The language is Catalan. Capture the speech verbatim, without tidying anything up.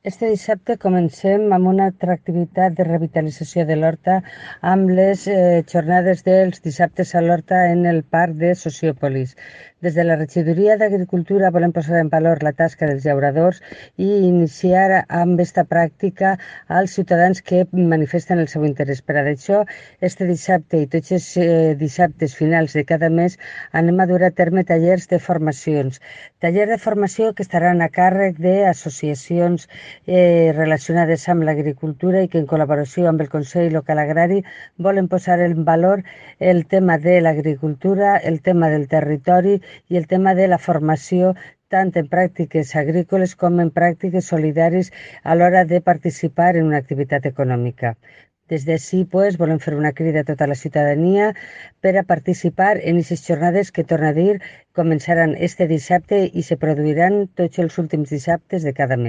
Este dissabte comencem amb una altra activitat de revitalització de l'Horta amb les eh, jornades dels dissabtes a l'Horta en el Parc de Sociòpolis. Des de la Regidoria d'Agricultura volem posar en valor la tasca dels llauradors i iniciar amb aquesta pràctica als ciutadans que manifesten el seu interès. Per a això, este dissabte i tots els eh, dissabtes finals de cada mes anem a dur a terme tallers de formacions. Tallers de formació que estaran a càrrec d'associacions eh, relacionades amb l'agricultura i que en col·laboració amb el Consell Local Agrari volen posar en valor el tema de l'agricultura, el tema del territori i el tema de la formació tant en pràctiques agrícoles com en pràctiques solidàries a l'hora de participar en una activitat econòmica. Des d'ací, pues, volem fer una crida a tota la ciutadania per a participar en aquestes jornades que, torno a dir, començaran este dissabte i se produiran tots els últims dissabtes de cada mes.